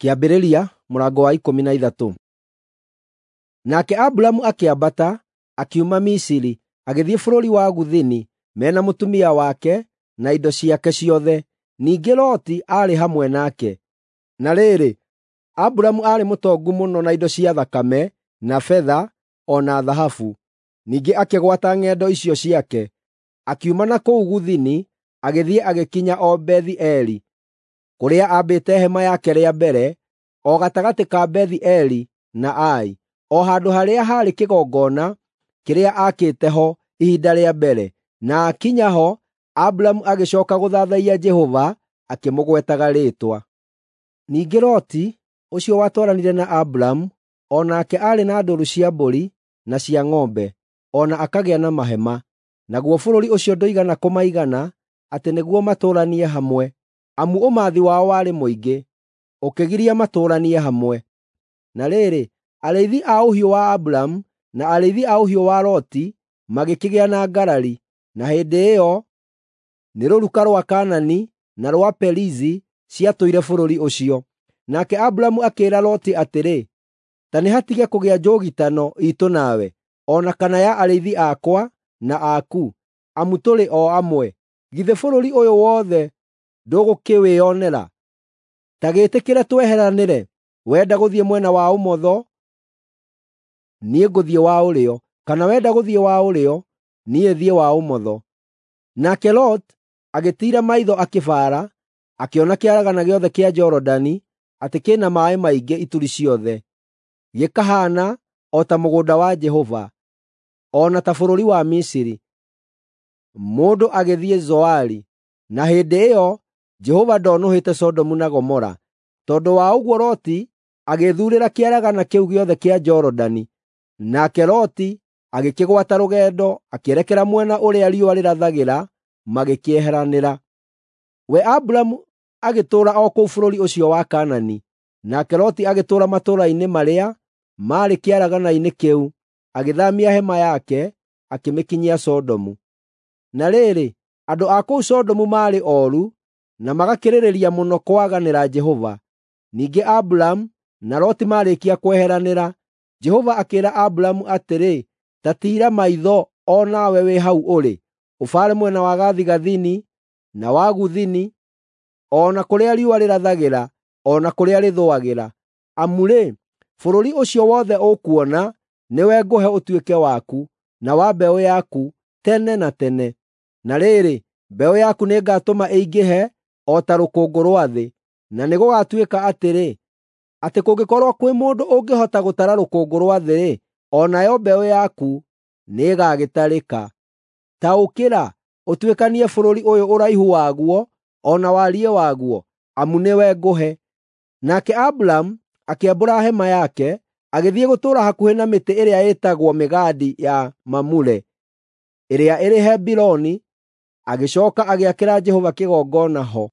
Kĩambĩrĩria mũrango wa 13. Nake Aburamu akĩambata, akiuma Misiri, agĩthiĩ bũrũri wa Gũthini, me na mũtumia wake na indo ciake ciothe. Ningĩ Loti aarĩ hamwe nake. Na rĩrĩ, Aburamu aarĩ mũtongu mũno na indo cia thakame, na betha, o na thahabu. Ningĩ akĩgwata ng'endo icio ciake, akiuma na kũu Gũthini, agĩthiĩ agĩkinya o Bethi-Eli, kũrĩa aambĩte hema yake rĩa mbere, o gatagatĩ ka Bethi-Eli na Ai, o handũ harĩa haarĩ kĩgongona kĩrĩa aakĩte ho ihinda rĩa mbere. Na aakinya ho, Aburamu agĩcooka gũthathaiya Jehova akĩmũgwetaga rĩĩtwa. Ningĩ Loti, ũcio watwaranire na Aburamu, o nake aarĩ na ndũũru cia mbũri na cia ng'ombe, o na akagĩa na mahema. Naguo bũrũri ũcio ndũigana kũmaigana atĩ nĩguo matũũranie hamwe, amu ũmathi wao warĩ mũingĩ, ũkĩgiria matũũranie hamwe. Na rĩrĩ, arĩithi a ũhiũ wa Aburamu na arĩithi a ũhiũ wa Loti magĩkĩgĩa na ngarari, na hĩndĩ ĩyo nĩ rũruka rwa Kaanani na rwa Perizi ciatũire bũrũri ũcio. Nake Aburamu akĩĩra Loti atĩrĩ, “Ta nĩhatige kũgĩa njũgitano iitũ nawe, o na kana ya arĩithi akwa na aku, amu tũrĩ o amwe. Githĩ bũrũri ũyũ wothe ndũgũkĩwĩonera? Ta gĩĩtĩkĩre tweheranĩre. Wenda gũthiĩ mwena wa ũmotho, niĩ ngũthiĩ wa ũrĩo, kana wenda gũthiĩ wa ũrĩo, niĩ thiĩ wa ũmotho.” Nake Lot agĩtiira maitho akĩbaara, akĩona kĩaragana gĩothe kĩa Jorodani atĩ kĩ na maaĩ maingĩ ituri ciothe, gĩkahaana o ta mũgũnda wa Jehova, o na ta bũrũri wa Misiri. Mũndũ agĩthiĩ Zoari, na hĩndĩ ĩyo Jehova ndoonũhĩte Sodomu na Gomora. Tondũ wa ũguo Loti agĩĩthuurĩra kĩaragana kĩu gĩothe kĩa Jorodani. Nake Loti agĩkĩgwata rũgendo akĩerekera mwena ũrĩa riũa rĩrathagĩra, magĩkĩeheranĩra. We Aburamu agĩtũũra o kũu bũrũri ũcio wa Kaanani, nake Loti agĩtũũra matũũra-inĩ marĩa maarĩ kĩaragana-inĩ kĩu, agĩthaamia hema yake, akĩmĩkinyia Sodomu. Na rĩrĩ, andũ a kũu Sodomu maarĩ ooru na magakĩrĩrĩria mũno kwaganĩra Jehova. Ningĩ Aburamu na Loti maarĩkia kweheranĩra, Jehova akĩĩra Aburamu atĩrĩ, “Ta tiira maitho o nawe wĩ hau ũrĩ, ũbaare mwena wa gathigathini na wa gũthini, o na kũrĩa riũa rĩrathagĩra, o na kũrĩa rĩthũagĩra. Amu-rĩ, bũrũri ũcio wothe ũkuona nĩwe ngũhe ũtuĩke waku, na wa mbeũ yaku tene na tene. Na rĩrĩ, mbeũ yaku nĩngatũma ĩingĩhe o ta rũkũngũ rwa thĩ, na nĩgũgatuĩka atĩrĩ, atĩ kũngĩkorwo kwĩ mũndũ ũngĩhota gũtara rũkũngũ rwa thĩ-rĩ, o nayo mbeũ yaku nĩĩgagĩtarĩka. Ta ũkĩra, ũtuĩkanie bũrũri ũyũ ũraihu waguo o na wariĩ waguo, amu nĩwe ngũhe.” Nake Aburamu akĩambũra hema yake, agĩthiĩ gũtũũra hakuhĩ na mĩtĩ ĩrĩa ĩtagwo mĩgandi ya Mamure, ĩrĩa ĩrĩ Hebironi, agĩcooka agĩakĩra Jehova kĩgongona ho.